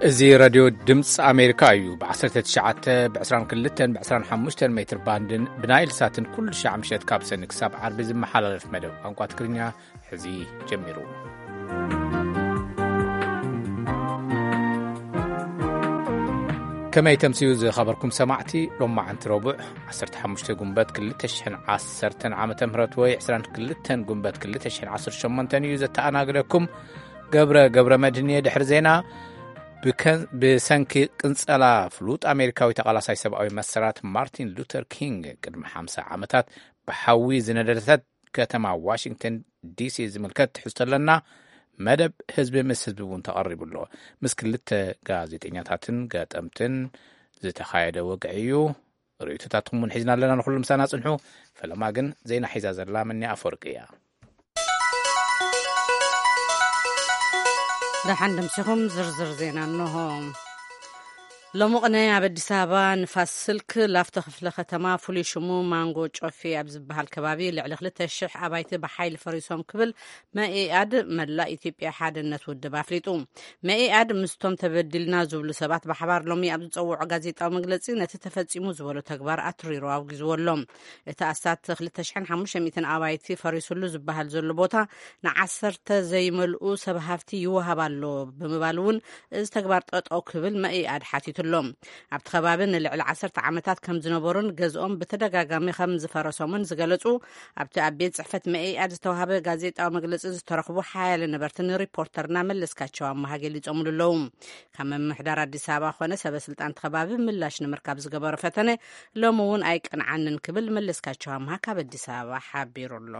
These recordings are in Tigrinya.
እዚ ሬድዮ ድምፂ ኣሜሪካ እዩ። ብ19፣ ብ22፣ ብ25 ሜትር ባንድን ብናይል ሳትን ኩሉ ሻዕ ምሸት ካብ ሰኒ ክሳብ ዓርቢ ዝመሓላለፍ መደብ ቋንቋ ትግርኛ ሕዚ ጀሚሩ። ከመይ ተምስዩ ዝኸበርኩም ሰማዕቲ፣ ሎማዓንቲ ረቡዕ 15 ጉንበት 2010 ዓመተ ምህረት ወይ 22 ጉንበት 2018 እዩ። ዘተኣናግደኩም ገብረ ገብረ መድህን እየ። ድሕሪ ዜና፣ ብከ-፣ ብሰንኪ ቅንጸላ ፍሉጥ ኣሜሪካዊ ተቓላሳይ ሰብኣዊ መሰላት ማርቲን ሉተር ኪንግ ቅድሚ ሓምሳ ዓመታት ብሓዊ ዝነደደት ከተማ ዋሽንግተን ዲሲ ዝምልከት ትሕዝቶ ኣለና። መደብ ህዝቢ ምስ ህዝቢ እውን ተቐሪቡ ኣሎ። ምስ ክልተ ጋዜጠኛታትን ገጠምትን ዝተኻየደ ወግዒ እዩ። ርእይቶታትኩም እውን ሒዝና ኣለና። ንኹሉ ምሳና ጽንሑ። ፈለማ ግን ዜና ሒዛ ዘላ መኒ ኣፈወርቂ እያ። ደሓን ደምሲኹም። ዝርዝር ዜና እንሆ። ሎሚ ቅነ ኣብ ኣዲስ ኣበባ ንፋስ ስልክ ላፍቶ ክፍለ ከተማ ፍሉይ ሽሙ ማንጎ ጮፌ ኣብ ዝበሃል ከባቢ ልዕሊ 2,000 ኣባይቲ ብሓይሊ ፈሪሶም ክብል መኢኣድ፣ መላእ ኢትዮጵያ ሓድነት ውድብ፣ ኣፍሊጡ። መኢኣድ ምስቶም ተበዲልና ዝብሉ ሰባት ብሓባር ሎሚ ኣብ ዝጸውዖ ጋዜጣዊ መግለጺ ነቲ ተፈጺሙ ዝበሎ ተግባር ኣትሪሩ ኣውጊዝዎ ኣሎ። እቲ ኣስታት 2,500 ኣባይቲ ፈሪሱሉ ዝበሃል ዘሎ ቦታ ንዓሰርተ ዘይመልኡ ሰብ ሃፍቲ ይወሃብ ኣሎ ብምባል እውን እዚ ተግባር ጠጠው ክብል መኢኣድ ሓቲቱ ኣሎ። ኣብቲ ከባቢ ንልዕሊ 10 ዓመታት ከም ዝነበሩን ገዝኦም ብተደጋጋሚ ከም ዝፈረሶምን ዝገለጹ ኣብቲ ኣብ ቤት ጽሕፈት መኢኣድ ዝተዋሃበ ጋዜጣዊ መግለጺ ዝተረኽቡ ሓያለ ነበርቲ ንሪፖርተርና መለስካቸው ኣመሃ ገሊጾምሉ ኣለዉ። ካብ ምምሕዳር ኣዲስ ኣበባ ኮነ ሰበ ስልጣን እቲ ከባቢ ምላሽ ንምርካብ ዝገበሮ ፈተነ ሎሚ እውን ኣይቀንዓንን ክብል መለስካቸው ኣምሃ ካብ ኣዲስ ኣበባ ሓቢሩ ኣሎ።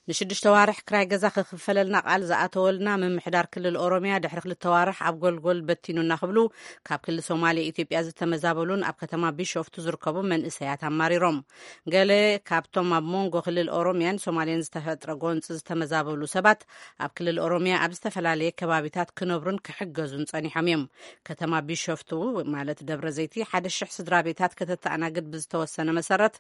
ንሽዱሽተ ዋርሕ ክራይ ገዛ ክኽፈለልና ቃል ዝኣተወልና ምምሕዳር ክልል ኦሮሚያ ድሕሪ ክልተ ዋርሕ ኣብ ጎልጎል በቲኑና ክብሉ ካብ ክልል ሶማሌ ኢትዮጵያ ዝተመዛበሉን ኣብ ከተማ ቢሾፍቱ ዝርከቡ መንእሰያት ኣማሪሮም። ገለ ካብቶም ኣብ መንጎ ክልል ኦሮሚያን ሶማሌን ዝተፈጥረ ጎንፂ ዝተመዛበሉ ሰባት ኣብ ክልል ኦሮሚያ ኣብ ዝተፈላለየ ከባቢታት ክነብሩን ክሕገዙን ጸኒሖም እዮም። ከተማ ቢሾፍቱ ማለት ደብረ ዘይቲ ሓደ ሽሕ ስድራ ቤታት ከተተኣናግድ ብዝተወሰነ መሰረት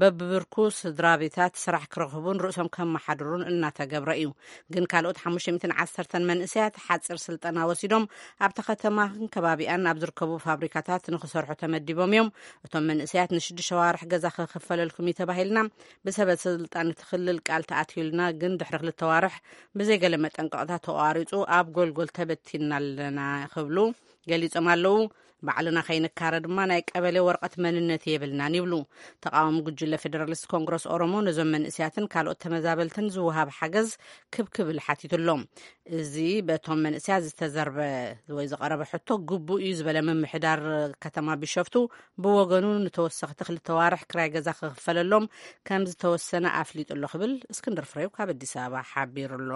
በብብርኩ ስድራ ቤታት ስራሕ ክረኽቡን ርእሶም ከመሓድሩን እናተገብረ እዩ። ግን ካልኦት ሓሙሽተ ሚእትን ዓሰርተን መንእሰያት ሓፂር ስልጠና ወሲዶም ኣብታ ከተማን ከባቢኣን ኣብ ዝርከቡ ፋብሪካታት ንክሰርሑ ተመዲቦም እዮም። እቶም መንእሰያት ንሽዱሽተ ዋርሕ ገዛ ክኽፈለልኩም እዩ ተባሂልና ብሰበ ስልጣን እቲ ክልል ቃል ተኣትዩልና፣ ግን ድሕሪ ክልተ ዋርሕ ብዘይገለ መጠንቀቕታ ተቋሪፁ ኣብ ጎልጎል ተበቲንና ኣለና ክብሉ ገሊጾም ኣለዉ። ባዕልና ከይንካረ ድማ ናይ ቀበሌ ወረቐት መንነት የብልናን ይብሉ። ተቃዋሚ ጉጅለ ፌደራሊስት ኮንግረስ ኦሮሞ ነዞም መንእስያትን ካልኦት ተመዛበልትን ዝወሃብ ሓገዝ ክብ ክብል ሓቲቱ ኣሎ። እዚ በቶም መንእስያት ዝተዘርበ ወይ ዝቐረበ ሕቶ ግቡእ እዩ ዝበለ ምምሕዳር ከተማ ቢሾፍቱ ብወገኑ ንተወሰኽቲ ክልተ ዋርሕ ክራይ ገዛ ክኽፈለሎም ከም ዝተወሰነ ኣፍሊጡ ኣሎ ክብል እስክንድር ፍሬው ካብ ኣዲስ ኣበባ ሓቢሩ ኣሎ።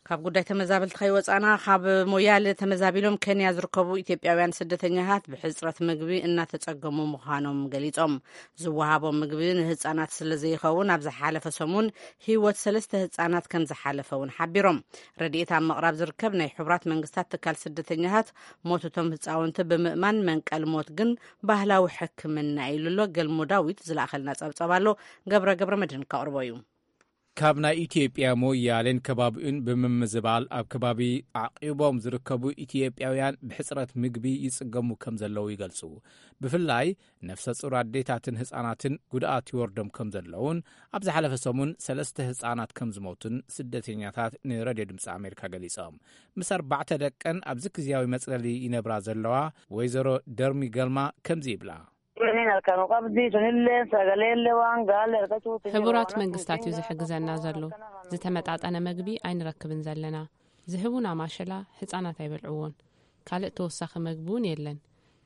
ካብ ጉዳይ ተመዛበልቲ ከይወፃና፣ ካብ ሞያሌ ተመዛቢሎም ኬንያ ዝርከቡ ኢትዮጵያውያን ስደተኛታት ብሕፅረት ምግቢ እናተፀገሙ ምዃኖም ገሊፆም። ዝወሃቦም ምግቢ ንህፃናት ስለ ዘይኸውን ኣብ ዝሓለፈ ሰሙን ህይወት ሰለስተ ህፃናት ከም ዝሓለፈ እውን ሓቢሮም። ረድኤት ኣብ ምቕራብ ዝርከብ ናይ ሕቡራት መንግስታት ትካል ስደተኛታት ሞት እቶም ህፃውንቲ ብምእማን መንቀል ሞት ግን ባህላዊ ሕክምና ኢሉ ኣሎ። ገልሞ ዳዊት ዝለኣኸልና ፀብፀብ ኣሎ። ገብረ ገብረ መድህን ከቕርቦ እዩ። ካብ ናይ ኢትዮጵያ ሞያሌን ከባቢኡን ብምምዝባል ኣብ ከባቢ ኣዕቂቦም ዝርከቡ ኢትዮጵያውያን ብሕፅረት ምግቢ ይፅገሙ ከም ዘለዉ ይገልፁ። ብፍላይ ነፍሰ ፁር ኣዴታትን ህፃናትን ጉድኣት ይወርዶም ከም ዘለውን ኣብ ዝሓለፈ ሰሙን ሰለስተ ህፃናት ከም ዝሞቱን ስደተኛታት ንረድዮ ድምፂ ኣሜሪካ ገሊፆም። ምስ ኣርባዕተ ደቀን ኣብዚ ግዝያዊ መፅለሊ ይነብራ ዘለዋ ወይዘሮ ደርሚ ገልማ ከምዚ ይብላ። ሕቡራት መንግስታት እዩ ዝሕግዘና ዘሎ። ዝተመጣጠነ መግቢ ኣይንረክብን ዘለና። ዝህቡና ማሸላ ህጻናት ኣይበልዕዎን። ካልእ ተወሳኺ መግቢ እውን የለን።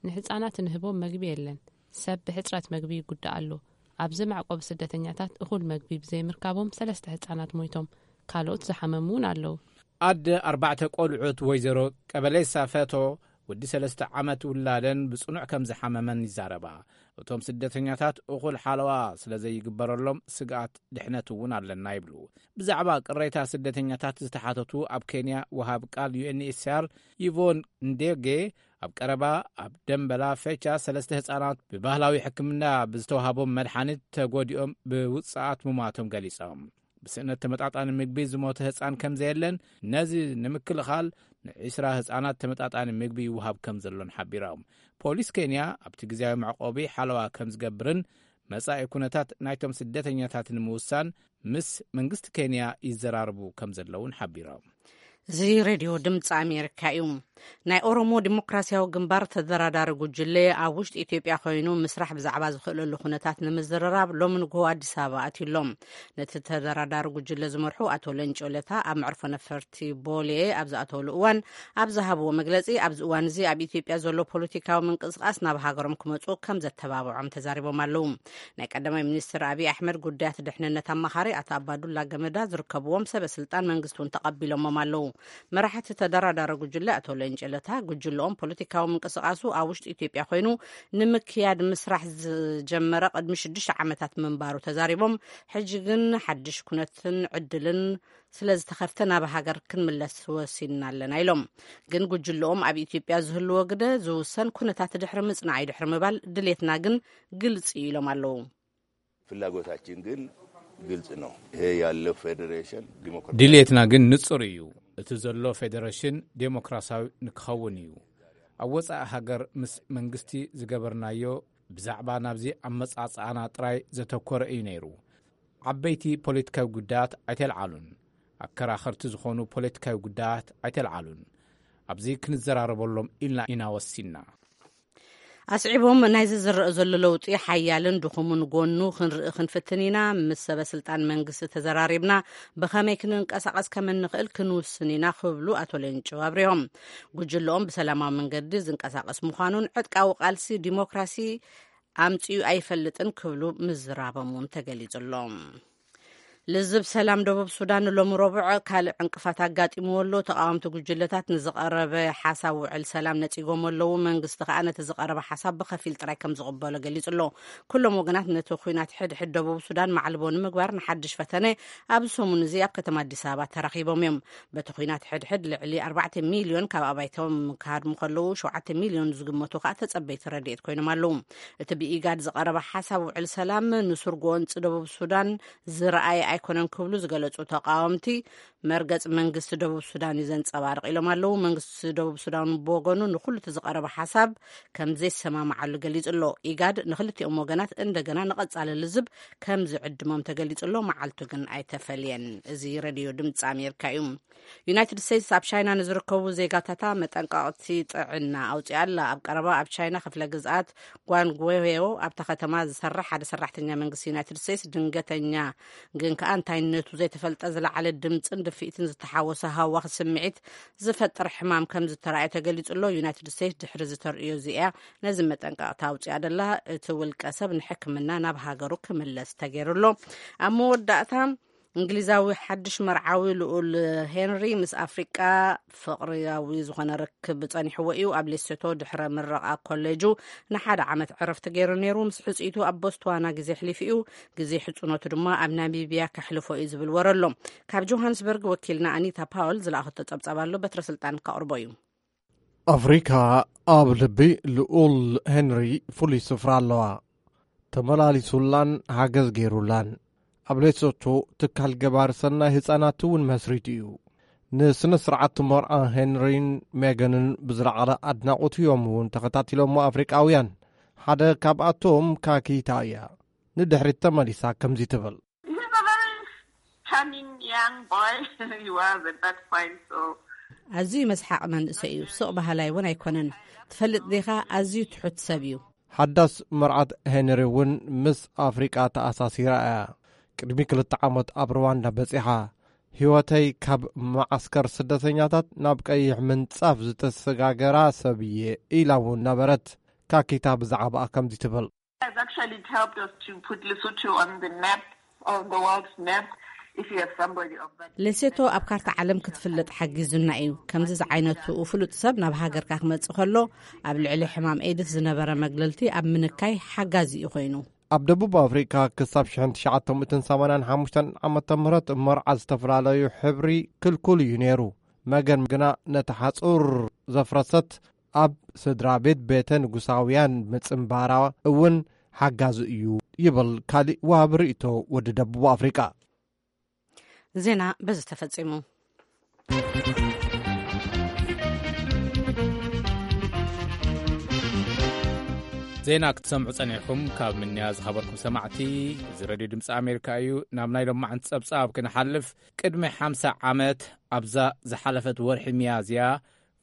ንህጻናት እንህቦም መግቢ የለን። ሰብ ብሕጽረት መግቢ ይጉዳእ ኣሎ። ኣብዚ መዕቆቢ ስደተኛታት እኹል መግቢ ብዘይምርካቦም ሰለስተ ህጻናት ሞይቶም። ካልኦት ዝሓመሙ እውን ኣለዉ። ኣደ ኣርባዕተ ቆልዑት ወይዘሮ ቀበሌሳ ፈቶ፣ ወዲ ሰለስተ ዓመት ውላደን ብጽኑዕ ከም ዝሓመመን ይዛረባ። እቶም ስደተኛታት እኹል ሓለዋ ስለ ዘይግበረሎም ስግኣት ድሕነት እውን ኣለና ይብሉ። ብዛዕባ ቅሬታ ስደተኛታት ዝተሓተቱ ኣብ ኬንያ ወሃብ ቃል ዩ ኤን ኤች ሲ ኣር ይቮን ንዴጌ፣ ኣብ ቀረባ ኣብ ደምበላ ፌቻ ሰለስተ ህጻናት ብባህላዊ ሕክምና ብዝተዋሃቦም መድሓኒት ተጎዲኦም ብውጽኣት ምሟቶም ገሊጾም። ብስእነት ተመጣጣኒ ምግቢ ዝሞተ ህጻን ከም ዘየለን፣ ነዚ ንምክልኻል ንዒስራ ህጻናት ተመጣጣኒ ምግቢ ይወሃብ ከም ዘሎን ሓቢሮም። ፖሊስ ኬንያ ኣብቲ ግዜያዊ መዕቆቢ ሓለዋ ከም ዝገብርን መጻኢ ኩነታት ናይቶም ስደተኛታት ንምውሳን ምስ መንግስቲ ኬንያ ይዘራርቡ ከም ዘለውን ሓቢሮም። እዚ ሬድዮ ድምፂ ኣሜሪካ እዩ። ናይ ኦሮሞ ዲሞክራሲያዊ ግንባር ተደራዳሪ ጉጅለ ኣብ ውሽጢ ኢትዮጵያ ኮይኑ ምስራሕ ብዛዕባ ዝኽእለሉ ኩነታት ንምዝርራብ ሎሚ ንግሆ ኣዲስ ኣበባ ኣትዩ ኣሎ። ነቲ ተደራዳሪ ጉጅለ ዝመርሑ ኣቶ ለንጮ ለታ ኣብ መዕርፎ ነፈርቲ ቦሌ ኣብ ዝኣተውሉ እዋን ኣብ ዝሃብዎ መግለፂ፣ ኣብዚ እዋን እዚ ኣብ ኢትዮጵያ ዘሎ ፖለቲካዊ ምንቅስቃስ ናብ ሃገሮም ክመፁ ከም ዘተባብዖም ተዛሪቦም ኣለዉ። ናይ ቀዳማይ ሚኒስትር ኣብይ ኣሕመድ ጉዳያት ድሕንነት ኣማኻሪ ኣቶ ኣባዱላ ገመዳ ዝርከብዎም ሰበ ስልጣን መንግስቲ እውን ተቐቢሎሞም ኣለዉ። መራሕቲ ተደራዳሪ ጉጅለ ኣቶ ለንጨለታ፣ ጉጅለኦም ፖለቲካዊ ምንቅስቃሱ ኣብ ውሽጢ ኢትዮጵያ ኮይኑ ንምክያድ ምስራሕ ዝጀመረ ቅድሚ ሽዱሽተ ዓመታት ምንባሩ ተዛሪቦም፣ ሕጂ ግን ሓድሽ ኩነትን ዕድልን ስለ ዝተኸፍተ ናብ ሃገር ክንምለስ ወሲንና ኣለና ኢሎም። ግን ጉጅለኦም ኣብ ኢትዮጵያ ዝህልዎ ግደ ዝውሰን ኩነታት ድሕሪ ምጽናዕ እዩ ድሕሪ ምባል፣ ድሌትና ግን ግልጽ እዩ ኢሎም ኣለዉ። ፍላጎታችን ግን ግልጽ ነው። ይሄ ያለው ፌዴሬሽን ዲሞክራሲ ድሌትና ግን ንጹር እዩ። እቲ ዘሎ ፌዴሬሽን ዴሞክራሲያዊ ንክኸውን እዩ። ኣብ ወጻኢ ሃገር ምስ መንግስቲ ዝገበርናዮ ብዛዕባ ናብዚ ኣመጻጽኣና ጥራይ ዘተኮረ እዩ ነይሩ። ዓበይቲ ፖለቲካዊ ጉዳያት ኣይተልዓሉን። ኣከራኸርቲ ዝኾኑ ፖለቲካዊ ጉዳያት ኣይተልዓሉን። ኣብዚ ክንዘራረበሎም ኢልና ኢና ወሲንና። ኣስዒቦም፣ ናይዚ ዝረአ ዘሎ ለውጢ ሓያልን ድኹምን ጎኑ ክንርኢ ክንፍትን ኢና። ምስ ሰበ ስልጣን መንግስቲ ተዘራሪብና ብኸመይ ክንንቀሳቐስ ከም እንኽእል ክንውስን ኢና ክብሉ ኣቶ ሌንጮ ኣብሪሆም። ጉጅለኦም ብሰላማዊ መንገዲ ዝንቀሳቐስ ምዃኑን ዕጥቃዊ ቃልሲ ዲሞክራሲ ኣምጺኡ ኣይፈልጥን ክብሉ ምዝራቦም እውን ተገሊጹ ኣሎ። ልዝብ ሰላም ደቡብ ሱዳን ሎሚ ረቡዕ ካልእ ዕንቅፋት ኣጋጢምዎ ኣሎ። ተቓወምቲ ጉጅለታት ንዝቐረበ ሓሳብ ውዕል ሰላም ነጺጎም ኣለዉ። መንግስቲ ከኣ ነቲ ዝቐረበ ሓሳብ ብኸፊል ጥራይ ከም ዝቕበሎ ገሊጹ ኣሎ። ኩሎም ወገናት ነቲ ኲናት ሕድሕድ ደቡብ ሱዳን ማዕልቦ ንምግባር ንሓድሽ ፈተነ ኣብዚ ሰሙን እዚ ኣብ ከተማ ኣዲስ ኣበባ ተራኺቦም እዮም። በቲ ኲናት ሕድሕድ ልዕሊ ኣርባዕተ ሚልዮን ካብ ኣባይቶም ክሃድሙ ከለዉ፣ ሸውዓተ ሚልዮን ዝግመቱ ከኣ ተጸበይቲ ረድኤት ኮይኖም ኣለዉ። እቲ ብኢጋድ ዝቐረበ ሓሳብ ውዕል ሰላም ንሱር ጎንጺ ደቡብ ሱዳን ዝረኣየ ኣይኮነን ክብሉ ዝገለጹ ተቓወምቲ፣ መርገጽ መንግስቲ ደቡብ ሱዳን እዩ ዘንጸባርቕ ኢሎም ኣለዉ። መንግስቲ ደቡብ ሱዳን ብወገኑ ንኹሉ እቲ ዝቐረበ ሓሳብ ከም ዘይሰማምዓሉ ገሊጹ ኣሎ። ኢጋድ ንኽልቲኦም ወገናት እንደገና ንቐጻሊ ልዝብ ከም ዝዕድሞም ተገሊጹ ኣሎ። መዓልቱ ግን ኣይተፈልየን። እዚ ሬድዮ ድምጺ ኣሜሪካ እዩ። ዩናይትድ ስቴትስ ኣብ ቻይና ንዝርከቡ ዜጋታታ መጠንቀቕቲ ጥዕና ኣውጺኣ ኣላ። ኣብ ቀረባ ኣብ ቻይና ክፍለ ግዝኣት ጓንጉዌዮ ኣብታ ከተማ ዝሰርሕ ሓደ ሰራሕተኛ መንግስቲ ዩናይትድ ስቴትስ ድንገተኛ ግን ከኣ እንታይነቱ ዘይተፈልጠ ዝለዓለ ድምጽን ድፍኢትን ዝተሓወሶ ሃዋኽ ስምዒት ዝፈጥር ሕማም ከም ዝተራእየ ተገሊጹ ኣሎ። ዩናይትድ ስቴትስ ድሕሪ ዝተርእዮ እዚ እያ ነዚ መጠንቀቕታ ኣውጺኣ ደላ። እቲ ውልቀ ሰብ ንሕክምና ናብ ሃገሩ ክምለስ ተገይሩ ኣሎ። ኣብ መወዳእታ እንግሊዛዊ ሓድሽ መርዓዊ ልኡል ሄንሪ ምስ ኣፍሪቃ ፍቕሪያዊ ዝኾነ ርክብ ጸኒሕዎ እዩ። ኣብ ሌሶቶ ድሕረ ምረቓ ኮሌጁ ንሓደ ዓመት ዕረፍቲ ገይሩ ነይሩ። ምስ ሕጽይቱ ኣብ ቦትስዋና ግዜ ኣሕሊፉ እዩ። ግዜ ሕጽኖቱ ድማ ኣብ ናሚብያ ከሕልፎ እዩ ዝብል ወረ ኣሎ። ካብ ጆሃንስበርግ ወኪልና ኣኒታ ፓውል ዝለኣኸቶ ጸብጻብ ኣሎ። በትረ ስልጣን ከቕርቦ እዩ። ኣፍሪካ ኣብ ልቢ ልኡል ሄንሪ ፍሉይ ስፍራ ኣለዋ። ተመላሊሱላን ሓገዝ ገይሩላን። ኣብ ሌሶቶ ትካል ገባሪ ሰናይ ህጻናት እውን መስሪቱ እዩ። ንስነ ስርዓት መርዓ ሄንሪን ሜገንን ብዝለዓለ ኣድናቖት እዮም እውን ተኸታቲሎሞ ኣፍሪቃውያን። ሓደ ካብኣቶም ካኪታ እያ። ንድሕሪት ተመሊሳ ከምዚ ትብል። He's a very charming young boy. He was at that point, so ኣዝዩ መስሓቕ መንእሰይ እዩ። ስቕ በሃላይ እውን ኣይኮነን። ትፈልጥ ዲኻ? ኣዝዩ ትሑት ሰብ እዩ። ሓዳስ መርዓት ሄንሪ እውን ምስ ኣፍሪቃ ተኣሳሲራ እያ። ቅድሚ ክልተ ዓመት ኣብ ሩዋንዳ በጺሓ። ህይወተይ ካብ መዓስከር ስደተኛታት ናብ ቀይሕ ምንጻፍ ዝተሰጋገራ ሰብ እየ ኢላ እውን ነበረት። ካኪታ ብዛዕባኣ ከምዚ ትብል። Has actually helped us to put Lesotho on the map, on the world's map, if you have somebody of that. ሌሴቶ ኣብ ካርታ ዓለም ክትፍለጥ ሓጊዙና እዩ። ከምዚ ዝዓይነቱ ፍሉጥ ሰብ ናብ ሃገርካ ክመጽእ ከሎ ኣብ ልዕሊ ሕማም ኤድስ ዝነበረ መግለልቲ ኣብ ምንካይ ሓጋዚ እዩ ኮይኑ። ኣብ ደቡብ ኣፍሪቃ ክሳብ ሽሕን ትሽዓተ ሚእትን ሰማንያን ሓሙሽተን ዓመተ ምህረት መርዓ ዝተፈላለዩ ሕብሪ ክልኩል እዩ ነይሩ። መገን ግና ነቲ ሓጹር ዘፍረሰት ኣብ ስድራ ቤት ቤተ ንጉሳውያን ምጽንባራ እውን ሓጋዚ እዩ ይብል ካሊእ ወሃቢ ርእይቶ ወዲ ደቡብ ኣፍሪቃ። ዜና በዚ ተፈጺሙ። ዜና ክትሰምዑ ጸኒሕኩም ካብ ምንያ ዝኸበርኩም ሰማዕቲ፣ እዚ ሬድዮ ድምፂ ኣሜሪካ እዩ። ናብ ናይ ሎማዓንቲ ጸብጻብ ክንሓልፍ፣ ቅድሚ ሓምሳ ዓመት ኣብዛ ዝሓለፈት ወርሒ ሚያዝያ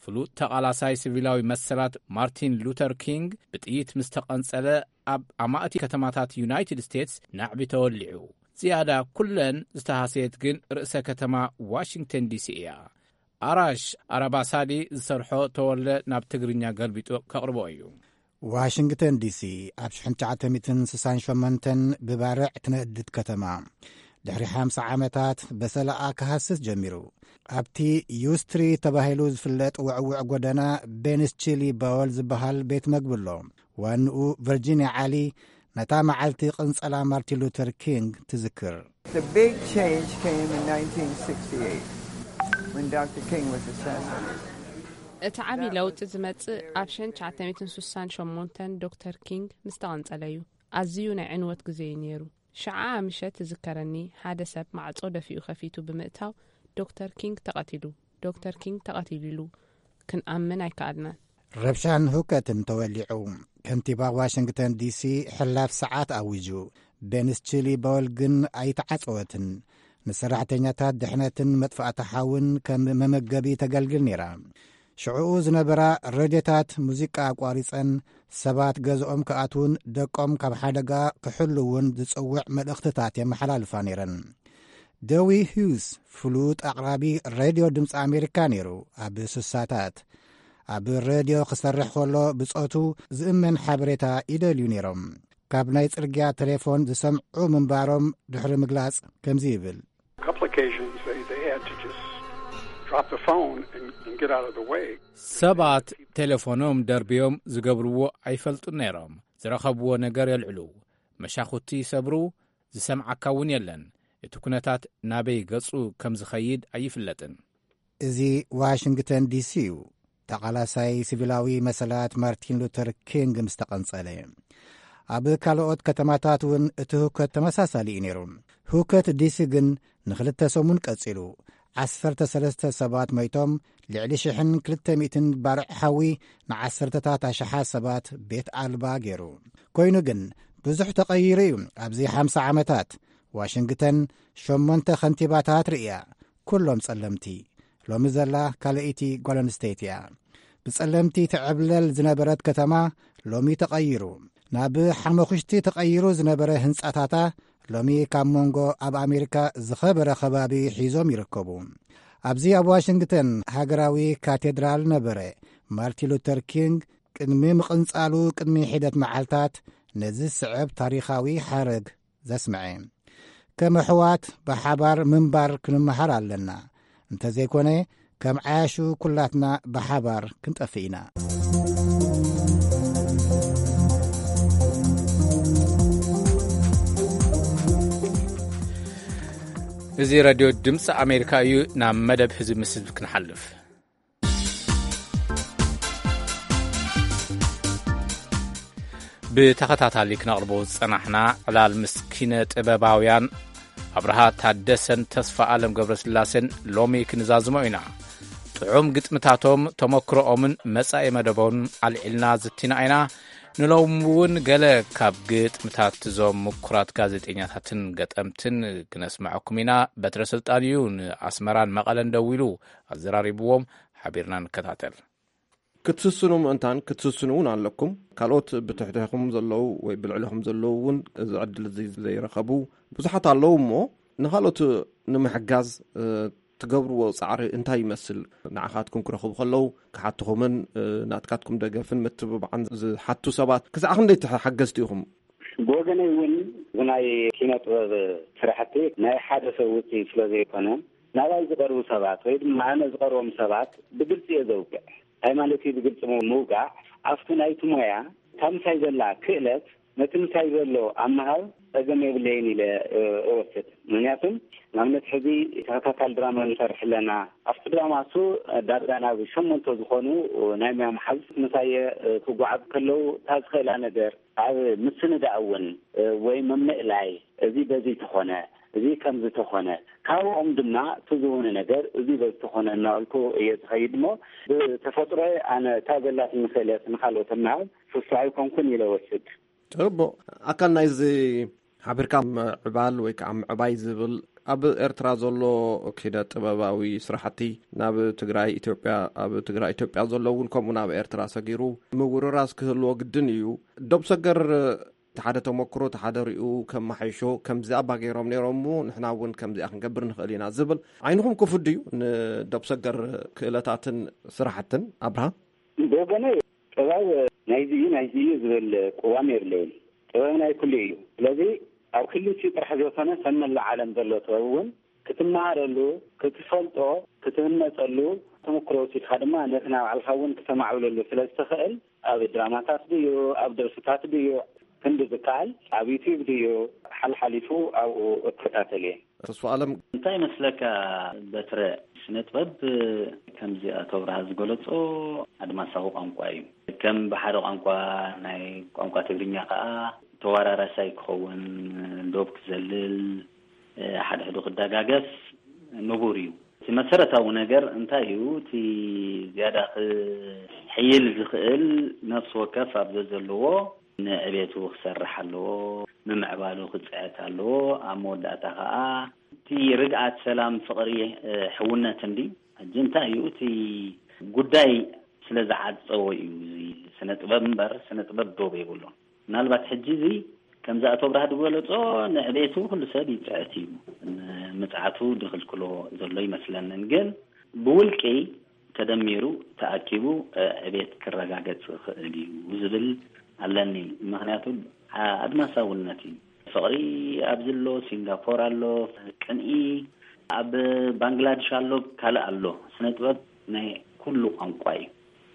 ፍሉጥ ተቓላሳይ ሲቪላዊ መሰላት ማርቲን ሉተር ኪንግ ብጥይት ምስ ተቐንጸለ፣ ኣብ ኣማእቲ ከተማታት ዩናይትድ ስቴትስ ናዕቢ ተወሊዑ። ዝያዳ ኩለን ዝተሃሰየት ግን ርእሰ ከተማ ዋሽንግተን ዲሲ እያ። ኣራሽ ኣራባሳዲ ዝሰርሖ ተወልደ ናብ ትግርኛ ገልቢጡ ከቕርቦ እዩ። ዋሽንግተን ዲሲ ኣብ ሽሕን ትሽዓተ ሚእትን ስሳን ሸሞንተን ብባርዕ ትነድድ ከተማ፣ ድሕሪ ሓምሳ ዓመታት በሰላኣ ክሃስስ ጀሚሩ። ኣብቲ ዩ ስትሪት ተባሂሉ ዝፍለጥ ውዕውዕ ጎደና፣ ቤንስ ቺሊ ባወል ዝበሃል ቤት መግቢ ኣሎ። ዋንኡ ቨርጂንያ ዓሊ ነታ መዓልቲ ቅንጸላ ማርቲን ሉተር ኪንግ ትዝክር። The big change came in nineteen sixty-eight when Doctor King was assassinated. እቲ ዓቢ ለውጢ ዝመጽእ ኣብ ሽሕን ትሽዓተ ሚእትን ስሳን ሸሞንተን ዶክተር ኪንግ ምስ ተቐንጸለ እዩ። ኣዝዩ ናይ ዕንወት ግዜ እዩ ነይሩ። ሽዓ ምሸት ትዝከረኒ፣ ሓደ ሰብ ማዕጾ ደፊኡ ከፊቱ ብምእታው፣ "ዶክተር ኪንግ ተቐቲሉ፣ ዶክተር ኪንግ ተቐቲሉ" ኢሉ። ክንኣምን ኣይከኣልናን። ረብሻን ሁከትን ተወሊዑ። ከንቲባ ዋሽንግተን ዲሲ ሕላፍ ሰዓት ኣዊጁ። ቤንስ ቺሊ ቦል ግን ኣይተዓጸወትን። ንሰራሕተኛታት ድሕነትን መጥፋእቲ ሓውን ከም መመገቢ ተገልግል ነይራ። ሽዕኡ ዝነበራ ሬድዮታት ሙዚቃ ኣቋሪጸን፣ ሰባት ገዝኦም ክኣትዉን ደቆም ካብ ሓደጋ ክሕልዉን ዝጽውዕ መልእኽትታት የመሓላልፋ ነይረን። ደዊ ሂውስ ፍሉጥ ኣቕራቢ ሬድዮ ድምፂ ኣሜሪካ ነይሩ። ኣብ ስሳታት ኣብ ሬድዮ ክሰርሕ ከሎ ብጾቱ ዝእመን ሓበሬታ ይደልዩ ነይሮም። ካብ ናይ ጽርግያ ቴሌፎን ዝሰምዑ ምንባሮም ድሕሪ ምግላጽ ከምዚ ይብል። Complications, they, they had to just drop the phone and, and get out of the way. ሰባት ቴሌፎኖም ደርብዮም ዝገብርዎ ኣይፈልጡን ነይሮም። ዝረኸብዎ ነገር የልዕሉ፣ መሻኹቲ ይሰብሩ፣ ዝሰምዓካ እውን የለን። እቲ ኩነታት ናበይ ገጹ ከም ዝኸይድ ኣይፍለጥን። እዚ ዋሽንግተን ዲሲ እዩ። ተቓላሳይ ሲቪላዊ መሰላት ማርቲን ሉተር ኪንግ ምስ ተቐንጸለ፣ ኣብ ካልኦት ከተማታት እውን እቲ ህውከት ተመሳሳሊ እዩ ነይሩ። ህውከት ዲሲ ግን ንኽልተ ሰሙን ቀጺሉ። ዓሰርተ ሰለስተ ሰባት ሞይቶም፣ ልዕሊ ሽሕን ክልተ ሚእትን ባርዕ ሓዊ ንዓሰርተታት ኣሽሓት ሰባት ቤት ኣልባ ገይሩ። ኮይኑ ግን ብዙሕ ተቐይሩ እዩ። ኣብዚ ሓምሳ ዓመታት ዋሽንግተን ሸሞንተ ከንቲባታት ርእያ፣ ኩሎም ጸለምቲ። ሎሚ ዘላ ካልኣይቲ ጓል ኣንስተይቲ እያ። ብጸለምቲ ትዕብለል ዝነበረት ከተማ ሎሚ ተቐይሩ። ናብ ሓመኹሽቲ ተቐይሩ ዝነበረ ህንጻታታ ሎሚ ካብ መንጎ ኣብ ኣሜሪካ ዝኸበረ ከባቢ ሒዞም ይርከቡ። ኣብዚ ኣብ ዋሽንግተን ሃገራዊ ካቴድራል ነበረ። ማርቲን ሉተር ኪንግ ቅድሚ ምቕንጻሉ ቅድሚ ሒደት መዓልታት ነዚ ዝስዕብ ታሪኻዊ ሓረግ ዘስምዐ። ከም ኣሕዋት ብሓባር ምንባር ክንመሃር ኣለና። እንተዘይኮነ፣ ከም ዓያሹ ኩላትና ብሓባር ክንጠፍእ ኢና። እዚ ሬድዮ ድምፂ ኣሜሪካ እዩ። ናብ መደብ ህዝቢ ምስ ህዝቢ ክንሓልፍ፣ ብተኸታታሊ ክነቕርቦ ዝጸናሕና ዕላል ምስ ኪነ ጥበባውያን ኣብርሃ ታደሰን ተስፋ ኣለም ገብረስላሴን ሎሚ ክንዛዝሞ ኢና። ጥዑም ግጥምታቶም፣ ተመክሮኦምን መጻኢ መደቦምን ኣልዒልና ዝቲና ኢና። ንሎሚ እውን ገለ ካብ ግጥምታት እዞም ምኩራት ጋዜጠኛታትን ገጠምትን ክነስምዐኩም ኢና። በትረ ስልጣን እዩ ንኣስመራን መቐለን ደዊሉ ኣዘራሪብዎም። ሓቢርና ንከታተል። ክትስስኑ ምእንታን ክትስስኑ እውን ኣለኩም። ካልኦት ብትሕቴኹም ዘለዉ ወይ ብልዕሌኹም ዘለዉ እውን እዚ ዕድል እዚ ዘይረኸቡ ብዙሓት ኣለዉ እሞ፣ ንኻልኦት ንምሕጋዝ፣ እ፣ ትገብርዎ ጻዕሪ እንታይ ይመስል? ንዓኻትኩም ክረኽቡ ከለዉ ክሓትኹምን፣ እ፣ ናትካትኩም ደገፍን ምትብባዕን ዝሓቱ ሰባት ክሳዕ ክንደይ ተሓገዝቲ ኢኹም? ብወገነይ እውን እዚ ናይ ኪነ ጥበብ ስራሕቲ ናይ ሓደ ሰብ ውፅኢት ስለ ዘይኮነ፣ ናባይ ዝቐርቡ ሰባት ወይ ድማ ኣነ ዝቐርቦም ሰባት ብግልፂ እየ ዘውግዕ። እንታይ ማለት እዩ ብግልፂ ምው-፣ ምውጋዕ? ኣብቲ ናይቲ ሞያ እታ ምሳይ ዘላ ክእለት ነቲ ምሳይ ዘሎ ኣብ ምሃብ ጸገም የብለይን ኢለ፣ እ፣ እወስድ። ምኽንያቱም ንኣብነት ሕዚ ተኸታታሊ ድራማ ንሰርሕ ኣለና። ኣብቲ ድራማ እሱ ዳርጋ ናብ ሸሞንተ ዝኾኑ ናይ ሙያ መሓዙት ምሳየ፣ እ፣ ክጓዓዙ ከለዉ እታ ዝኽእላ ነገር ኣብ ምስንዳእ እውን፣ እ፣ ወይ ምምእላይ እዚ በዚ ተኾነ እዚ ከም ዝተኾነ፣ ካብኦም ድማ እቲ ዝውነ ነገር እዚ በዝተኾነ እናበልኩ እየ ዝኸይድ እሞ፣ ብተፈጥሮየ ኣነ እታ ዘላትኒ ክእለት ንኻልኦት እናሃብ ፍሱሕ ኣይኮንኩን ኢለ ወስድ። ጽቡቕ። ኣካል ናይዚ ሓቢርካ ምዕባል ወይ ከዓ ምዕባይ ዝብል ኣብ ኤርትራ ዘሎ ኪነ ጥበባዊ ስራሕቲ ናብ ትግራይ ኢትዮጵያ፣ ኣብ ትግራይ ኢትዮጵያ ዘሎ እውን ከምኡ ናብ ኤርትራ ሰጊሩ ምውርራስ ክህልዎ ግድን እዩ። ዶብ ሰገር እቲ ሓደ ተመክሮ፣ እቲ ሓደ ሪኡ ከመሓይሾ ከምዚ ኣባ ገይሮም ነይሮም እሞ ንሕና እውን ከምዚኣ ክንገብር ንኽእል ኢና ዝብል ዓይንኹም ክፉት ድዩ ንዶብ ሰገር ክእለታትን ስራሕትን ኣብርሃ? ብወገነይ ጥበብ ናይዚ እዩ ናይዚ እዩ ዝብል ቅዋም የብለይን። ጥበብ ናይ ኩሉ እዩ። ስለዚ ኣብ ክልቲኡ ጥራሕ ዘይኮነ፣ ከም መላእ ዓለም ዘሎ ጥበብ እውን ክትመሃረሉ፣ ክትፈልጦ፣ ክትህነፀሉ፣ ተመክሮ ወሲድካ ድማ ነቲ ናይ ባዕልኻ እውን ክተማዕብለሉ ስለ ዝተኽእል፣ ኣብ ድራማታት ድዩ፣ ኣብ ደርፍታት ድዩ፣ ክንዲ ዝከኣል ኣብ ዩትዩብ ድዩ፣ ሓልሓሊፉ ኣብኡ እከታተል እየ። ተስፋ ኣለም። እንታይ ይመስለካ በትረ፣ ስነ ጥበብ ከምዚ ኣቶ ብርሃ ዝገለጾ ኣድማሳዊ ቋንቋ እዩ። ከም ብሓደ ቋንቋ ናይ ቋንቋ ትግርኛ ከኣ ተዋራራሳይ ክኸውን፣ ዶብ ክዘልል፣ ሓድሕዱ ክደጋገፍ ንቡር እዩ። እቲ መሰረታዊ ነገር እንታይ እዩ? እቲ ዝያዳ ክሕይል ዝኽእል ነፍሲ ወከፍ ኣብ ዘዘለዎ ንዕቤቱ ክሰርሕ ኣለዎ፣ ምምዕባሉ ክጽዕት ኣለዎ። ኣብ መወዳእታ ከኣ እቲ ርግኣት፣ ሰላም፣ ፍቕሪ፣ እ፣ ሕውነት እንዲ ሕጂ እንታይ እዩ እቲ ጉዳይ ስለ ዝዓጸዎ እዩ እዚ ስነ ጥበብ እምበር ስነ ጥበብ ዶብ የብሉን። ምናልባት ሕጂ እዚ ከምዚ ኣቶ ብርሃ ዝገለጾ ንዕቤቱ ኩሉ ሰብ ይጽዕት እዩ። ምጽዓቱ ድኽልክሎ ዘሎ ይመስለንን፣ ግን ብውልቂ ተደሚሩ ተኣኪቡ፣ እ፣ ዕቤት ክረጋገጽ ይኽእል እዩ ዝብል ኣለኒ። ምኽንያቱ፣ ኣ-፣ ኣድማሳውነት እዩ። ፍቕሪ ኣብዚ ኣሎ፣ ሲንጋፖር ኣሎ፣ ቅንኢ ኣብ ባንግላድሽ ኣሎ፣ ካልእ ኣሎ። ስነ ጥበብ ናይ ኩሉ ቋንቋ እዩ።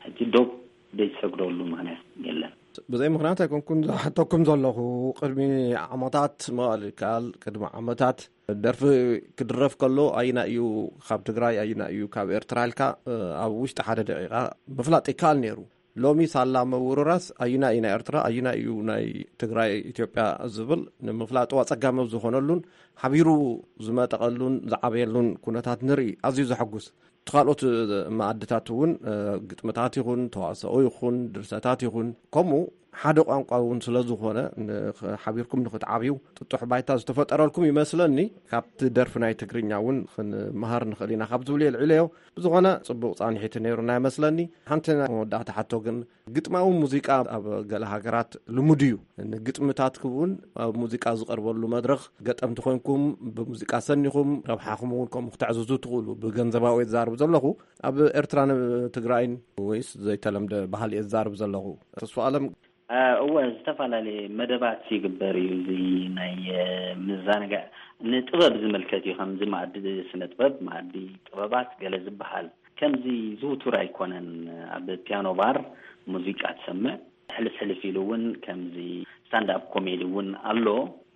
ሕጂ ዶብ ዘይትሰግደሉ ምኽንያት የለን። ብዘይ ምኽንያት ኣይኮንኩን ዝሓተኩም ዘለኹ። ቅድሚ ዓመታት፣ ምባል ይከኣል፣ ቅድሚ ዓመታት ደርፊ ክድረፍ ከሎ፣ ኣየና እዩ ካብ ትግራይ፣ ኣየና እዩ ካብ ኤርትራ ኢልካ፣ እ፣ ኣብ ውሽጢ ሓደ ደቂቃ ምፍላጥ ይከኣል ነይሩ። ሎሚ ሳላ ምውርራስ፣ ኣየና እዩ ናይ ኤርትራ፣ ኣየና እዩ ናይ ትግራይ፣ ኢትዮጵያ ዝብል ንምፍላጡ ኣጸጋሚ ኣብ ዝኾነሉን፣ ሓቢሩ ዝመጠቐሉን ዝዓበየሉን ኩነታት ንርኢ። ኣዝዩ ዘሐጉስ። እቲ ካልኦት መኣድታት እውን፣ እ፣ ግጥምታት ይኹን፣ ተዋስኦ ይኹን፣ ድርሰታት ይኹን፣ ከምኡ ሓደ ቋንቋ እውን ስለ ዝኾነ፣ ን-፣ ሓቢርኩም ንኽትዓብዩ ጥጡሕ ባይታ ዝተፈጠረልኩም ይመስለኒ። ካብቲ ደርፊ ናይ ትግርኛ እውን ክንመሃር ንኽእል ኢና ካብ ዝብሉ የልዕለዮ። ብዝኾነ፣ ጽቡቕ ጻንሒት ነይሩና ይመስለኒ። ሓንቲ ናይ መወዳእታ ሕቶ ግን፣ ግጥማዊ ሙዚቃ ኣብ ገለ ሃገራት ልሙድ እዩ። ንግጥምታትኩም እውን ኣብ ሙዚቃ ዝቐርበሉ መድረኽ ገጠምቲ ኮይንኩም፣ ብሙዚቃ ሰኒኹም ረብሓኹም እውን ከምኡ ክተዕዝዙ ትኽእሉ። ብገንዘባዊ እየ ዝዛረብ ዘለኹ። ኣብ ኤርትራን ትግራይን ወይስ ዘይተለምደ ባህሊ እየ ዝዛረብ ዘለኹ? ተስፋ ኣለም። እ፣ እወ፣ ዝተፈላለየ መደባት ይግበር እዩ። እዚ ናይ፣ እ፣ ምዝንጋዕ ንጥበብ ዝምልከት እዩ። ከምዚ መኣዲ ስነ ጥበብ፣ መኣዲ ጥበባት ገለ ዝበሃል ከምዚ ዝውቱር ኣይኮነን። ኣብ ፒያኖ ባር ሙዚቃ ትሰምዕ፣ ሕልፍ ሕልፍ ኢሉ እውን ከምዚ ስታንድ ኣፕ ኮሜዲ እውን ኣሎ።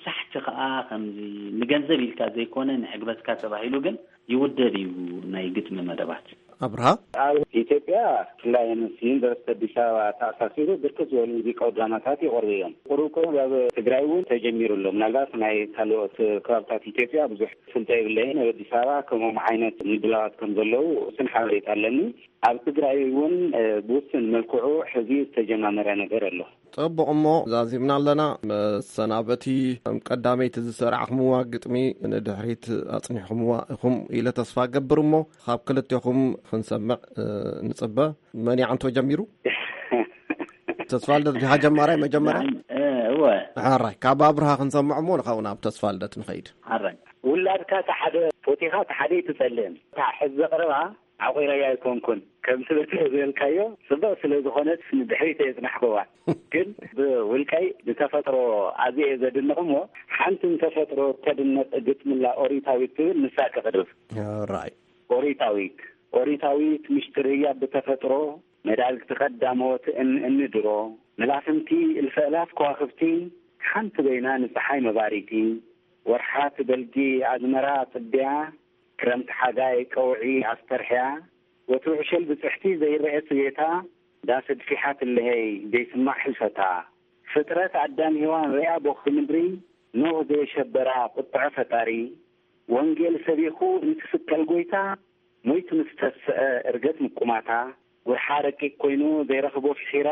ሳሕቲ ከኣ ከምዚ ንገንዘብ ኢልካ ዘይኮነ፣ ንዕግበትካ ተባሂሉ ግን ይውደብ እዩ ናይ ግጥሚ መደባት። ኣብርሃ። ኣብ ኢትዮጵያ ብፍላይ ምስ ዩኒቨርሲቲ ኣዲስ ኣበባ ተኣሳሲሩ ብርክት ዝበሉ ሙዚቃዊ ድራማታት ይቐርቡ እዮም። ቁሩብ ቁሩብ ኣብ ትግራይ እውን ተጀሚሩ ኣሎ። ምናልባት ናይ ካልኦት ከባብታት ኢትዮጵያ ብዙሕ ፍልጠ የብለይን። ኣብ ኣዲስ ኣበባ ከምኦም ዓይነት ምድላዋት ከም ዘለዉ ውሱን ሓበሬታ ኣለኒ። ኣብ ትግራይ እውን፣ እ፣ ብውሱን መልክዑ ሕዚ ዝተጀማመረ ነገር ኣሎ። ጽቡቕ፣ እሞ ዛዚምና ኣለና። መሰናበቲ፣ ከም ቀዳመይቲ ዝሰራዕኹምዋ ግጥሚ ንድሕሪት ኣጽኒሕኹምዋ ኢኹም ኢለ ተስፋ እገብር። እሞ ካብ ክልቴኹም ክንሰምዕ፣ እ፣ ንጽበ። መን ይዓንቶ ጀሚሩ? ተስፋ ልደት ዲኻ ጀማራይ መጀመርያ? ንዓይ፣ እ፣ እወ። ሕራይ፣ ካብ ኣብርሃ ክንሰምዕ እሞ ንኻብኡ ናብ ተስፋ ልደት ንኸይድ። ሕራይ። ውላድካ እቲ ሓደ ፎቲኻ እቲ ሓደ ኣይትጸልእን። እታ ሕዚ ዘቕርባ ዓቑረያ ኣይኮንኩን። ከምቲ በቲ ዝበልካዮ ጽቡቕ ስለ ዝኾነት ንድሕሪት እየ ጽናሕኩዋ። ግን ብውልቀይ ብተፈጥሮ ኣዝየ እየ ዘድንቕ እሞ፣ ሓንቲ ንተፈጥሮ እተድንቕ ግጥምላ ኦሪታዊት ትብል ንሳ ክቕርብ። ራይ። ኦሪታዊት፣ ኦሪታዊት ምሽጥር ህያብ ብተፈጥሮ፣ መዳግቲ ቀዳሞት እን-፣ እንድሮ፣ መላፍንቲ እልፈ እላፍ ከዋኽብቲ፣ ሓንቲ በይና ንጸሓይ መባሪቲ፣ ወርሓት በልጊ ኣዝመራ ጽድያ፣ ክረምቲ ሓጋይ ቀውዒ ኣስተርሕያ፣ ወትሩ ዕሸል ብጽሕቲ ዘይረኤ ስቤታ፣ ዳስ ኣድፊሓ ትለሀይ ዘይስማዕ ሕልፈታ። ፍጥረት ኣዳም ሄዋን ርያ ቦኽቲ ምድሪ፣ ኖህ ዘየሸበራ ቁጥዐ ፈጣሪ፣ ወንጌል ሰቢኹ እንትስቀል ጎይታ፣ ሞይቱ ምስ ተስአ እርገት ምቁማታ፣ ጉርሓ ረቂቅ ኮይኑ ዘይረኽቦ ፍሒረ፣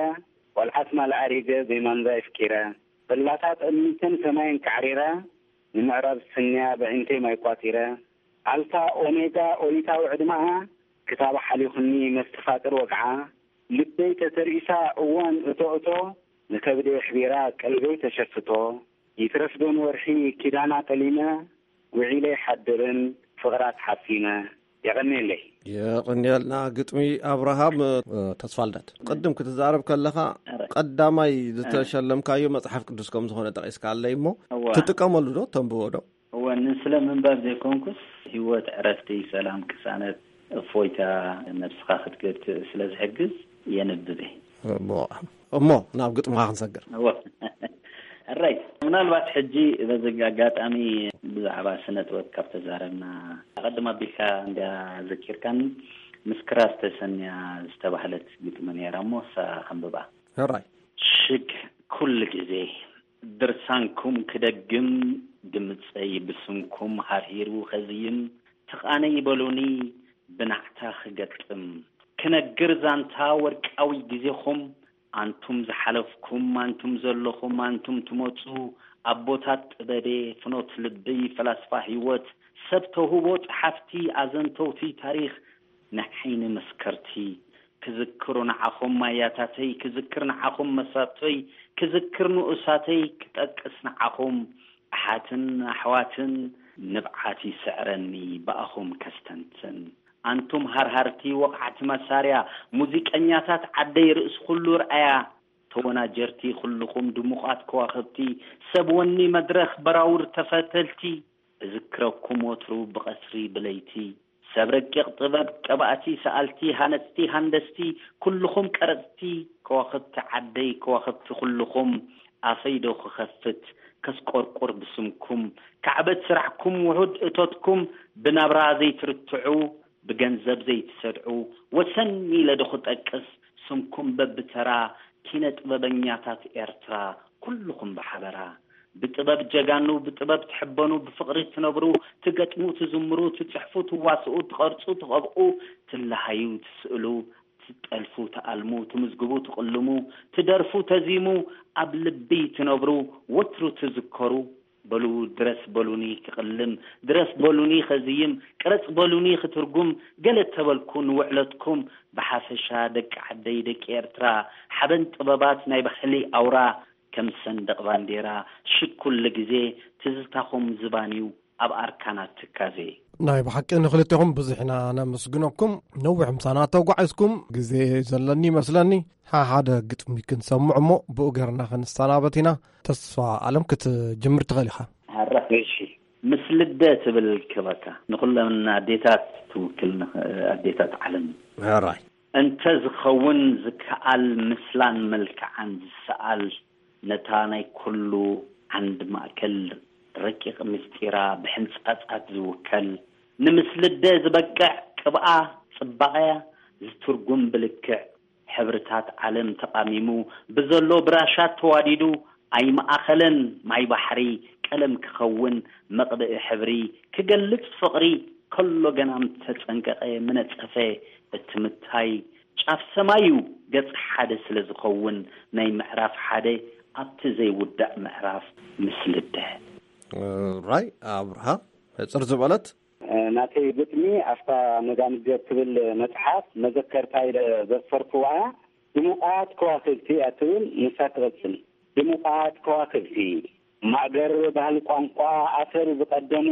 ቆልዓት ማል ኣሪገ ዘይማንዛ የፍቂረ፣ ጽላታት ጠሚተን ሰማየን ካዕሪረ፣ ንምዕራብ ስንያ በዒንተይ ማይ ቋጺረ፣ ኣልፋ ኦሜጋ ኦሪታዊ ዕድመኣ፣ ክታብ ሓሊኹኒ መስተፋቅር ወግዓ፣ ልበይ ተተርኢሳ እዋን እቶ እቶ፣ ንከብደይ ኣሕቢራ ቀልበይ ተሸፍቶ፣ ይትረፍ ዶ ንወርሒ ኪዳና ጠሊመ፣ ውዒለ ይሓድርን ፍቕራ ተሓሲመ። የቐንየለይ። የቐንየልና ግጥሚ ኣብርሃም፣ እ፣ ተስፋልደት። ቅድም ክትዛረብ ከለኻ፣ ኣረ። ቀዳማይ እ። ዝተሸለምካዮ መጽሓፍ ቅዱስ ከም ዝኾነ ጠቒስካ ኣለይ እሞ፣ እዋ። ትጥቀመሉ ዶ? ተንብቦ ዶ? እወ፣ ንስለ ምንባብ ዘይኮንኩስ፣ ህይወት፣ ዕረፍቲ፣ ሰላም፣ ቅሳነት፣ እፎይታ ነብስኻ ክትገትእ ስለ ዝሕግዝ የንብብ እየ። እሞ፣ እሞ ናብ ግጥምኻ ክንሰግር። እወ። ሕራይ፣ ምናልባት ሕጂ በዚ ኣጋጣሚ ብዛዕባ ስነ ጥበብ ካብ ተዛረብና፣ ቀድም ኣቢልካ እንድያ ዘኪርካኒ፣ ምስ ክራር ተሰንያ ዝተባህለት ግጥሚ ነይራ እሞ፣ እሳ ከንብባ። ሕራይ። ሽግ ኩሉ ግዜ ድርሳንኩም ክደግም፣ ድምጸይ ብስምኩም ሃርሂሩ ከዝይም፣ ትቓነይ በሉኒ ብናዕታ ክገጥም። ክነግር ዛንታ ወርቃዊ ግዜኹም፣ ኣንቱም ዝሓለፍኩም፣ ኣንቱም ዘለኹም፣ ኣንቱም ትመጹ፣ ኣቦታት ጥበቤ፣ ፍኖት ልቢ፣ ፈላስፋ ህይወት፣ ሰብ ተውህቦ፣ ጸሓፍቲ፣ ኣዘንተውቲ ታሪኽ፣ ንዓይኒ መስከርቲ፣ ክዝክሩ ንዓኹም ማያታተይ፣ ክዝክር ንዓኹም መሳቶይ፣ ክዝክር ንኡሳተይ፣ ክጠቅስ ንዓኹም ኣሓትን ኣሕዋትን፣ ንብዓት ይስዕረኒ ብኣኹም ከስተንትን። ኣንቱም ሃርሃርቲ ወቕዓቲ መሳርያ፣ ሙዚቀኛታት ዓደይ ርእሲ ኩሉ ርኣያ፣ ተወናጀርቲ ኩልኹም ድሙቓት ከዋኽብቲ፣ ሰብ ወኒ መድረኽ በራውር ተፈተልቲ፣ እዝክረኩም ወትሩ ብቐትሪ ብለይቲ፣ ሰብ ረቂቕ ጥበብ ቀባእቲ ሰኣልቲ ሃነጽቲ ሃንደስቲ፣ ኩልኹም ቀረጽቲ ከዋኽብቲ ዓደይ ከዋኽብቲ ኩልኹም፣ ኣፈይ ዶ ክኸፍት ከስቆርቁር ብስምኩም፣ ካዕበት ስራሕኩም ውሑድ እቶትኩም፣ ብናብራ ዘይትርትዑ ብገንዘብ ዘይትሰድዑ፣ ወሰን ኢለ ዶ ክጠቅስ ስምኩም በብተራ፣ ኪነ ጥበበኛታት ኤርትራ ኩልኹም ብሓበራ። ብጥበብ ጀጋኑ፣ ብጥበብ ትሕበኑ፣ ብፍቕሪ ትነብሩ፣ ትገጥሙ፣ ትዝምሩ፣ ትጽሕፉ፣ ትዋስኡ፣ ትቐርጹ፣ ትቐብኡ፣ ትለሃዩ፣ ትስእሉ፣ ትጠልፉ፣ ትኣልሙ፣ ትምዝግቡ፣ ትቕልሙ፣ ትደርፉ፣ ተዚሙ፣ ኣብ ልቢ ትነብሩ፣ ወትሩ ትዝከሩ። በሉ ድረስ በሉኒ ክቕልም፣ ድረስ በሉኒ ከዝይም፣ ቅረጽ በሉኒ ክትርጉም፣ ገለ ተበልኩ ንውዕለትኩም። ብሓፈሻ ደቂ ዓደይ ደቂ ኤርትራ፣ ሓበን ጥበባት ናይ ባህሊ ኣውራ፣ ከም ሰንደቕ ባንዴራ ሽግ ኩሉ ግዜ ትዝታኹም ዝባንዩ ኣብ ኣርካናት ትካዜ። ናይ ብሓቂ ንኽልቴኹም ብዙሕ ኢና ነመስግነኩም። ነዊሕ ምሳና ተጓዒዝኩም፣ ግዜ ዘለኒ ይመስለኒ። ሓሓደ ግጥሚ ክንሰምዕ እሞ ብኡ ገርና ክንሰናበት ኢና። ተስፋ ኣለም ክትጅምር ትኽእል ኢኻ። ሃራ። እሺ። ምስ ልደ ትብል ክበካ ንኹለን ኣዴታት ትውክል ንኽ-፣ ኣዴታት ዓለም። ሕራይ። እንተ ዝኸውን ዝከኣል ምስላን መልክዓን ዝሰኣል ነታ ናይ ኩሉ ዓንድ ማእከል ረቂቕ ምስጢራ ብሕንጻጻት ዝውከል ንምስልደ ዝበቅዕ ቅብኣ ጽባቐያ ዝትርጉም ብልክዕ ሕብርታት ዓለም ተቓሚሙ ብዘሎ ብራሻት ተዋዲዱ ኣይመኣኸለን ማይ ባሕሪ ቀለም ክኸውን መቕብኢ ሕብሪ ክገልጽ ፍቕሪ ከሎ ገና ምተጸንቀቐ ምነጸፈ እቲ ምታይ ጫፍ ሰማዩ ገጽ ሓደ ስለ ዝኸውን ናይ ምዕራፍ ሓደ ኣብቲ ዘይውዳእ ምዕራፍ ምስልደ። ራይ ኣብርሃ ሕጽር ዝበለት ናተይ ግጥሚ ኣብታ መጋምጀ እትብል መጽሓፍ መዘከርታ ኢለ ዘስፈርክዋ እያ። ድሙቓት ከዋክብቲ እያ ትብል፣ ንሳ ትቕጽል። ድሙቓት ከዋክብቲ፣ ማእገር ባህሊ ቋንቋ ኣሰር ዝቐደሙ፣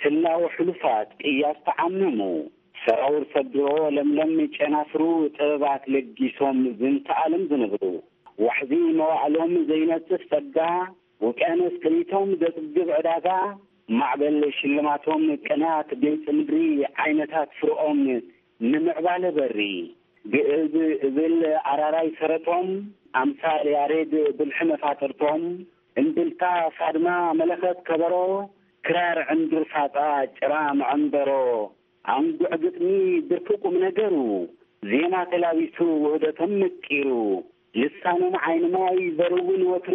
ህላወ ሕሉፋት ቅያ ዝተዓመሙ፣ ሰራውር ሰብ ድሮ ለምለም ጨናፍሩ ጥበባት ለጊሶም ዝንተ ዓለም ዝነብሩ፣ ዋሕዚ መዋዕሎም ዘይነጽፍ ጸጋ፣ ውቅያኖስ ጥሪቶም ዘጽግብ ዕዳጋ፣ ማዕበል ሽልማቶም ቅንያት ገይጺ ምድሪ ዓይነታት ፍርኦም ንምዕባለ በሪ። ግእዝ እብል ኣራራይ ሰረቶም ኣምሳል ያሬድ ብልሒ መፋጥርቶም እምብልታ ሳድማ መለኸት ከበሮ ክራር ዕንዱር ፋጻ ጭራ መዐንደሮ ኣንጉዕ ግጥሚ ብርኪ ቁም ነገሩ ዜማ ተላቢሱ ውህደቶም መቂሩ ልሳኖም ዓይኒ ማይ ዘርውን ወትሩ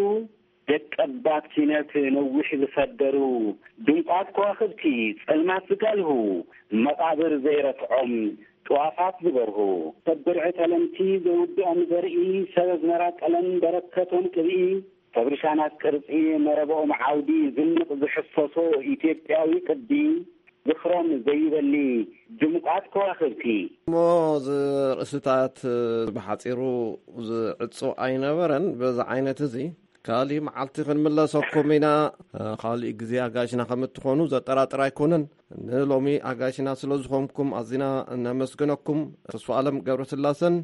ደቀባት ሲነት ነዊሕ ዝፈደሩ፣ ድምቋት ከዋኽብቲ ጸልማት ዝጋልሁ፣ መቓብር ዘይረትዖም ጥዋፋት ዝበርሁ፣ ሰብ ብርዒ ተለምቲ ዘይውድኦም ዘርኢ፣ ሰብ ኣዝመራ ቀለም በረከቶም ቅብኢ፣ ሰብ ርሻናት ቅርጺ መረብኦም ዓውዲ ዝንቕ ዝሕፈሶ ኢትዮጵያዊ ቅዲ፣ ዝኽሮም ዘይበሊ ድምቋት ከዋኽብቲ። እሞ እዚ ርእስታት ብሓጺሩ ዝዕጾ ኣይነበረን። በዚ ዓይነት እዚ ካሊእ መዓልቲ ክንምለሰኩም ኢና። ካሊእ ግዜ ኣጋይሽና ከም እትኾኑ ዘጠራጥር ኣይኮነን። ንሎሚ ኣጋይሽና ስለ ዝኾንኩም ኣዚና ነመስግነኩም። ተስፋ ኣለም ገብረስላሰን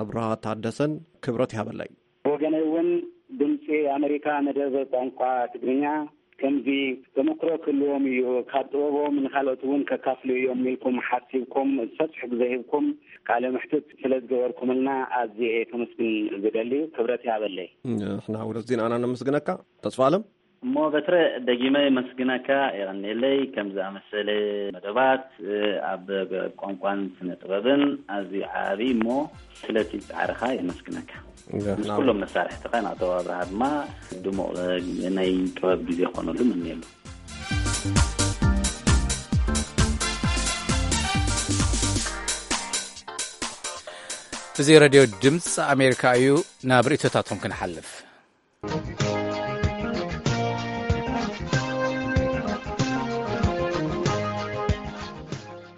ኣብርሃ ታደሰን ክብረት ይሃበለይ። ብወገነይ እውን ድምፂ ኣሜሪካ መደብ ቋንቋ ትግርኛ ከምዚ ተመክሮ ክህልዎም እዩ። ካብ ጥበቦም ንካልኦት እውን ከካፍሉ እዮም ኢልኩም ሓሲብኩም ሰፊሕ ግዜ ሂብኩም ቃለ መሕትት ስለ ዝገበርኩምልና ኣዝየ እየ ከመስግን ዝደሊ። ክብረት ይሃበለይ። ንሕና ውለት ዜናና ነመስግነካ ተስፋ ኣለም። እሞ በትረ ደጊመ የመስግነካ፣ የቐንየለይ። ከም ዝኣመሰለ መደባት ኣብ ቋንቋን ስነ ጥበብን ኣዝዩ ዓቢ እሞ ስለቲ ጻዕርኻ የመስግነካ። ንሕና ምስ ኩሎም መሳርሕትኻ ናተው ኣብርሃ ድማ ድሙቕ ናይ ጥበብ ግዜ ክኾነሉ ምንየሉ። እዚ ሬድዮ ድምፂ ኣሜሪካ እዩ። ናብ ርእይቶታትኩም ክንሓልፍ።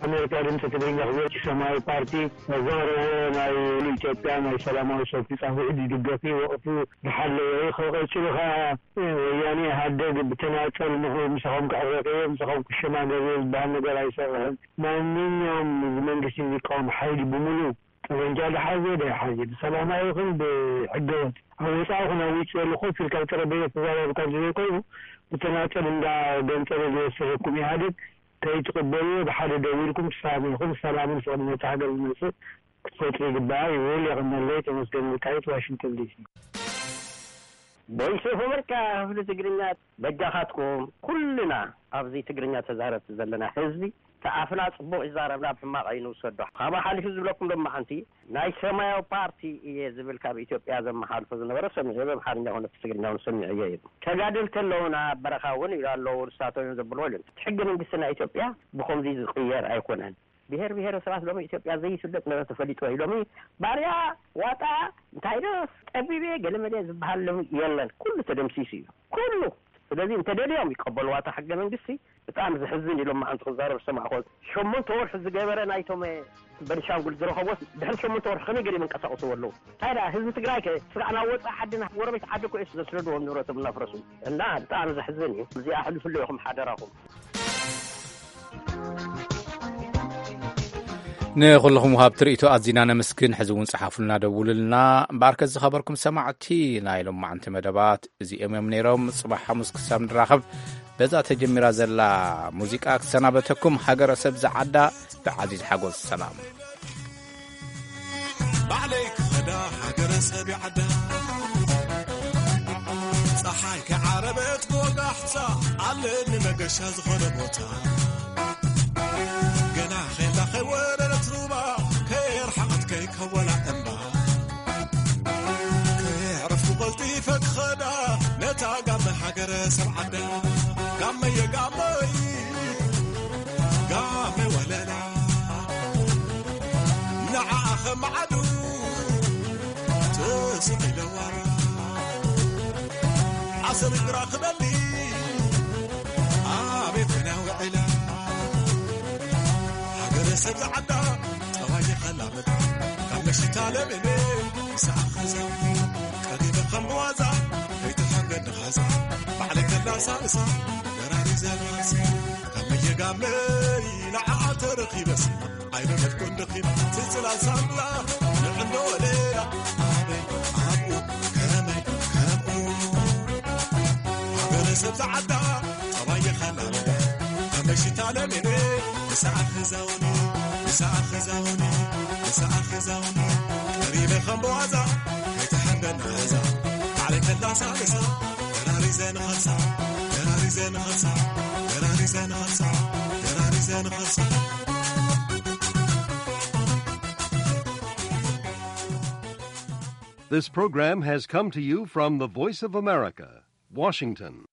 ኣሜሪካ ድምፂ ትግርኛ ክብል ሰማያዊ ፓርቲ ዘቕረቦ ናይ ኢትዮጵያ ናይ ሰላማዊ ሰልፊ ፃውዒት ዝድገፍ እዩ። ወቕቱ ዝሓለወ እዩ። ከቐፅሉ ከዓ ወያኔ ኢህኣደግ ብተናፀል ንኹ ምሳኹም ክዕረቕ እየ፣ ምሳኹም ክሸማገል እየ ዝበሃል ነገር ኣይሰርሕን። ማንኛውም እዚ መንግስቲ ዝቃወም ሓይሊ ብምሉእ ጠበንጃ ዝሓዘ ዘይሓዘ፣ ብሰላማዊ ይኹን ብሕገወጥ፣ ኣብ ወፃኢ ይኹን ኣብ ውጭ ዘሎ ኮፍ ኢልካ ኣብ ጠረጴዛ ተዛራርብካ እንተዘይኮይኑ፣ ብተናፀል እንዳገንፀለ ዝወሰደኩም ኢህኣደግ ከይትቕበልዎ ብሓደ ደው ኢልኩም ክሳብ ኢኹም ሰላምን ፍቕርን ነታ ሃገር ዝመፅእ ክትፈጥሩ ይግባእ ይብል። የቐነለይ። ተመስገን ወልቃይት፣ ዋሽንግተን ዲሲ። ቮይስ ኦፍ ኣሜሪካ ክፍሊ ትግርኛ፣ በጃኻትኩም ኩልና ኣብዚ ትግርኛ ተዛረብቲ ዘለና ህዝቢ፣ እቲ ኣፍና ጽቡቕ ይዛረብና፣ ኣብ ሕማቕ ኣይንውሰዶ። ካብኡ ሓሊፉ ዝብለኩም ድማ ሓንቲ ናይ ሰማያዊ ፓርቲ እየ ዝብል ካብ ኢትዮጵያ ዘመሓልፎ ዝነበረ ሰሚዐ፣ ብኣምሓርኛ ኮነ ብትግርኛ እውን ሰሚዐዮ እየ። ተጋደልቲ ኣለውና ኣብ በረኻ እውን ኢሉ ኣለዉ፣ ንሳቶም እዮም ዘብልዎ ኢሉ። እቲ ሕገ መንግስቲ ናይ ኢትዮጵያ ብኸምዚ ዝቕየር ኣይኮነን። ብሔር ብሔረሰባት ሎሚ ኢትዮጵያ ዘይስደድ ነበረ ተፈሊጡ እዩ። ሎሚ ባርያ፣ ዋጣ፣ እንታይ ዶ፣ ጠቢብ እየ፣ ገለመለ ዝበሃል ሎሚ የለን። ኩሉ ተደምሲሱ እዩ። ኩሉ። ስለዚ እንተደልዮም ይቀበልዋ እታ ሕገ መንግስቲ። ብጣዕሚ ዘሕዝን እዩ። ሎማዓንቲ ክዛረብ ዝሰማዕኮ ሸሞንተ ወርሒ ዝገበረ ናይቶም በንሻንጉል ዝረኸቦስ ድሕሪ ሸሞንተ ወርሒ ከመይ ገይሮም ይንቀሳቀስዎ ኣለዉ? እንታይ ደኣ ህዝቢ ትግራይ ከ ስጋዕ ናብ ወፃኢ ዓዲ ናብ ጎረቤት ዓዲ እኮ እዮም ዘስደድዎም ንብረቶም እናፍረሱ። እና ብጣዕሚ ዘሕዝን እዩ። እዚኣ ኣሕልፍሉ ኢኹም ሓደራኹም። ንኹልኹም ወሃብቲ ርእይቶ ኣዚና ነመስግን። ሕዚ እውን ጸሓፉልና፣ ደውሉልና። እምበኣርከ ዝኸበርኩም ሰማዕቲ ናይ ሎማዓንቲ መደባት እዚኦም እዮም ነይሮም። ጽባሕ ሓሙስ ክሳብ ንራኸብ በዛ ተጀሚራ ዘላ ሙዚቃ ክሰናበተኩም። ሃገረ ሰብ ዝዓዳ ብዓዚዝ ሓጎስ ሰላም። ባዕለይ ክኸዳ ሃገረ ሰብ ይዓዳ፣ ፀሓይ ከይዓረበት ክወጋሕታ ኣለኒ መገሻ ዝኾነ ቦታ። ገና ኸይላ ከይወረደት ሩባ፣ ከየርሓቐት ከይከወላ እምባ፣ ከየዕረፍኩ ቀልጢፈ ክኸዳ ነታ ጋመ ሃገረ ሰብ ዓዳ። ጋመየ ጋመይ ጋመ ወለላ፣ ንዓኣ ኸማዓዱ ትስቕ ኢለዋ። ዓሰብ እግራ ክበሊ ኣቤት ክና ውዒላ። ሃገረ ሰብ ዝዓዳ ጠባይ የኸላመዳ፣ ካብ መሽታ ለሚነ ምሳኣ ኸዛ፣ ቀሪበ ከም ብዋዛ ከይትሓንገድ ንኻዛ። ባዕለይ ከላሳልሳ ደራሪ ዘራሲ፣ ጋመየ ጋመይ ንዓኣ ተረኺበስ ኣይበለድኩን ደኺም። ትጽላል ሳምላ ንዕንዶ ወለላ፣ ኣበይ ኣብኡ ከመይ ከምኡ። ሃገረ ሰብ ዝዓዳ ጠባይ የኸላመዳ፣ ካብ መሽታ ለሚነ ምሳኣ ኸዛውኒ፣ ምሳኣ ኸዛውኒ፣ ምሳኣ ኸዛውኒ። ቀሪበ ከም ብዋዛ ከይትሓንገድ ንኻዛ፣ ባዕለይ ከላሳልሳ ደራሪ ዘንኸሳ፣ ደራሪ ዘንኸሳ፣ ደራሪ ዘንኸሳ፣ ደራሪ ዘንኸሳ። This program has come to you from the Voice of America, Washington.